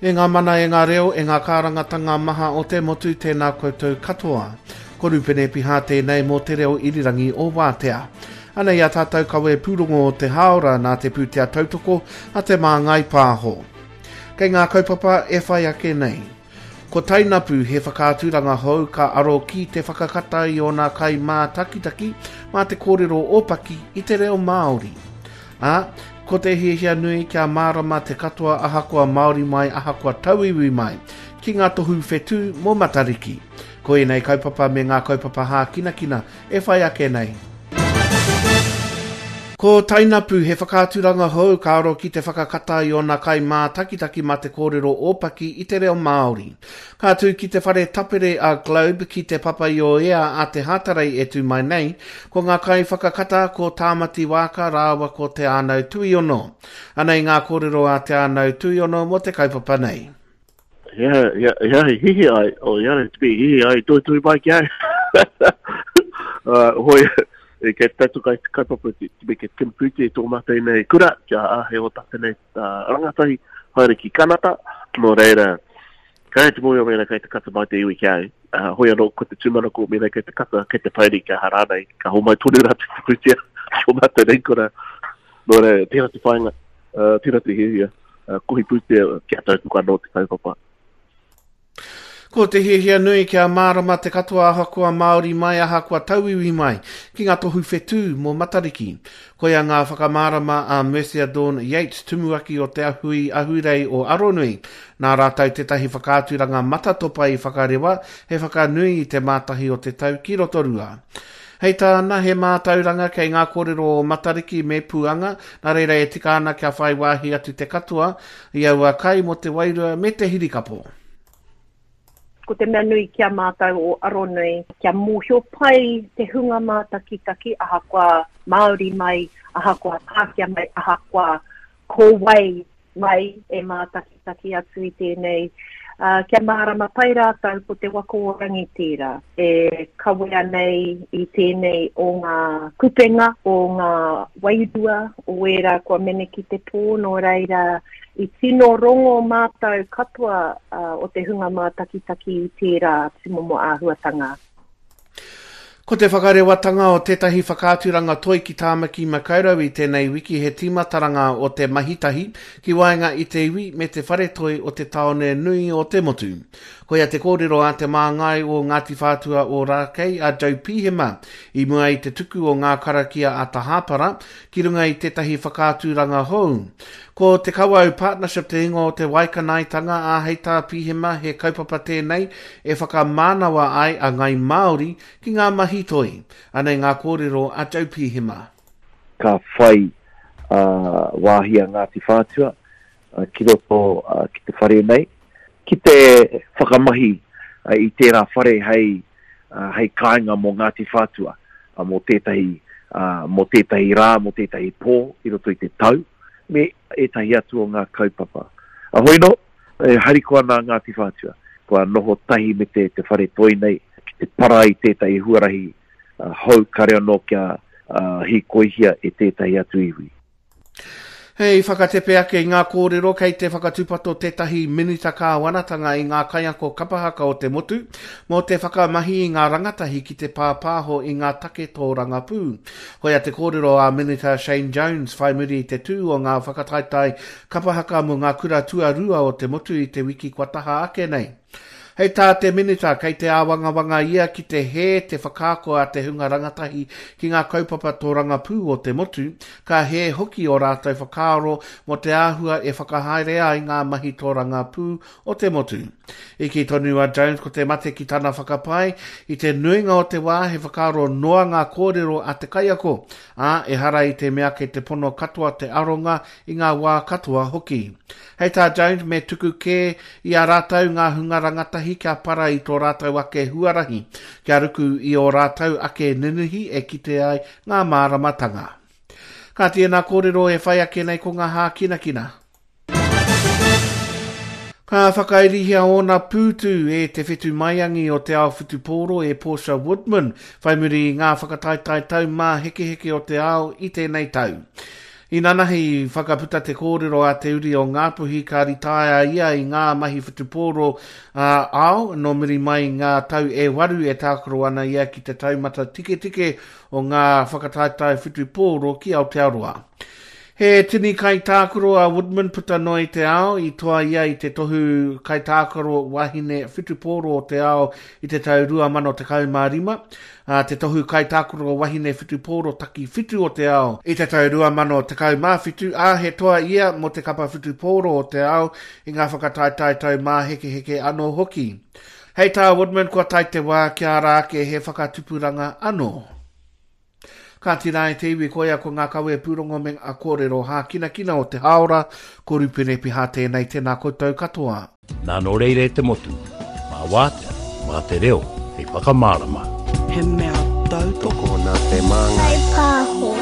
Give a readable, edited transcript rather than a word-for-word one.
E ngā mana, e ngā reo, e ngā kārangatanga maha o te motu, tēnā koutou katoa. Ko Rupene Piha tēnei mō Te Reo Irirangi o Wātea. Anei a tātou kawe pūrongo o te hāora nā te pūtea tautoko a Te Māngai Pāho. Kei ngā kaupapa e whai ake nei. Ko Tainapu he whakaaturanga hou ka aro ki te whakakata i ōna kaimātakitaki mā te kōrero ōpaki i te reo Māori. Ā, ko te hiahia nui kia mārama te katoa ahakoa Māori mai ahakoa tauiwi mai, ki ngā tohu whetū mō Matariki. Ko ēnei kaupapa me ngā kaupapa hākinakina e whai ake nei. Ko Tainapu he whakaaturanga hou ka aro ki te whakakata i ōna kaimātakitaki mā te kōrero ōpaki i te reo Māori. Ka tū ki te whare tapere a Globe ki Te Papaioea a Te Hātarei e tū mai nei, ko ngā kaiwhakakata ko Tāmati Waaka rāua ko Te Ānau Tuiono. Anei ngā kōrero a Te Ānau Tuiono mō te kaupapa nei. He aha, he aha, he aha i hihi ai, o he aha te mea i hihi ai, tuitui mai ki au. uh, hoi, e kei te tautoko ai te kaupapa te, te mea kei te kimi pūtea i tō mātou nei kura, kia āhei o tātou nei uh, rangatahi haere ki Kanata, nō reira, kei te mōhio mēnā kei te kata mai te iwi ki au, uh, hoi anō ko te tūmanako mēnā kei te kata, kei te pauri, kia aha rānei, ka homai tonu rātou te pūtea ki ō mātou nei kura. Nō reira, tērā te whāinga, uh, tērā te hiahia. kohi pūtea kia tautoko anō te kaupapa. Ko te hiahia nui kia mārama te katoa ahakoa Māori mai ahakoa tauiwi mai ki ngā tohu whetū mō Matariki. Koia ngā whakamārama a Mercia Dawn Yates, tumuaki o Te Hui Ahurei o Aronui. Nā rātou tētahi whakaaturanga matatopa i whakarewa he whakanui i te mātahi o te tau ki Rotorua. Hei tāna, he mātauranga kei ngā kōrero o Matariki me Puanga, nā reira e tika ana kia whai wāhi atu te katoa i aua kai mō te wairua me te hirikapo. Ko te mea nui ki a mātou o Aronui, kia mōhio pai te hunga mātakitaki ahakoa Māori mai, ahakoa Pākehā mai, ahakoa ko wai mai e mātakitaki atu i tēnei, ā, kia mārama pai rātou ko Te Waka o Rangi tērā e kawea nei i tēnei o ngā kupenga, o ngā wairua, o ērā kua mene ki te pō, nō reira i tino rongo mātou katoa o te hunga mātakitaki i tērā tūmomo āhuatanga. Ko te whakarewatanga o tētahi whakaaturanga toi ki Tāmaki Makaurau i tēnei wiki he tīmataranga o te mahitahi ki waenga i te iwi me te whare toi o te tāone nui o te motu. Koia te kōrero a te māngai o Ngāti Whātua Ōrākei a Joe Pihema i mua i te tuku o ngā karakia a Tahāpara ki runga i tētahi whakaaturanga hou. Ko Te Kawau Partnership te ingoa o te waikanaetanga, ā, hei tā Pihema he kaupapa tēnei e whakamānawa ai a Ngāi Māori ki ngā mahi toi. Anei ngā kōrero a Joe Pihema. Ka whai wāhi a Ngāti Whātua ki roto ki te whare nei, ki te whakamahi i tērā whare hei, hei kāinga mō Ngāti Whātua, mō tētahi, mō tētahi rā, mō tētahi pō i roto i te tau. me ētahi atu o ngā kaupapa. A hoi nō, e harikoa ana a Ngāti Whātua, kua noho tahi me te te whare toi nei ki te para i tētahi huarahi hou kare anō kia hīkoihia e tētahi atu iwi. Hei whakatepe ake i ngā kōrero kei te whakatūpato tētahi Minita Kāwanatanga i ngā kaiako kapa haka o te motu mō te whakamahi i ngā rangatahi ki te pāpāho i ngā take tōrangapū. Koia te kōrero a Minita Shane Jones whai muri i te tū o ngā whakataetae kapa haka mō ngā kura tuarua o te motu i te wiki kua taha ake nei. Hei tā te Minita, kei te āwangawanga ia ki te hē te whakaako a te hunga rangatahi ki ngā kaupapa tōrangapū o te motu, ka hē hoki ō rātou whakaaro mō te āhua e whakahaere ai ngā mahi tōrangapū o te motu. I kī tonu a Jones ko te mate ki tana whakapae, i te nuinga o te wā he whakaaro noa ngā kōrero a te kaiako, ā, ehara i te mea kei te pono katoa te aronga i ngā wā katoa hoki. Hei tā Jones me tuku kē i a rātou ngā hunga rangatahi kia para i tō rātou ake huarahi, kia ruku i ō rātou ake ninihi e kite ai ngā māramatanga. Kāti ēnā kōrero e whai ake nei ko ngā hākinakina. Ka whakairihia ōna pūtu e te whetu maiangi o te ao whutupōro e Portia Woodman whai muri i ngā whakataetae taumāhekeheke o te ao i tēnei tau. Inanahi i whakaputa te kōrero a te uri o Ngāpuhi ka ritaea ia i ngā mahi whutupōro ā-ao, nō muri mai i ngā tau e waru e tākaro ana ia ki te taumata tiketike o ngā whakataetae whutupōro ki Aotearoa. He tini kaitākaro a Woodman puta noa i te ao, i toa ia i te tohu kaitākaro wahine whutupōro o te ao i te tau 2015, ā, te tohu kaitākaro wahine whutupōro takiwhitu o te ao i te tau 2017, ā, he toa ia mō te kapa whutupōro o te ao i ngā whakataetae taumāhekeheke anō hoki. Hei tā Woodman kua tae te wā kia ara ake he whakatupuranga anō. Kāti rā e te iwi koia ko ngā kawe pūrongo me ngā kōrero hākinakina o te hāora, ko Rupene Piha tēnei, tēnā koutou katoa. Nā nō reira e te motu, mā wātea, mā te reo hei whakamārama. He mea tautoko. Tokona te māngai. Whai pāho.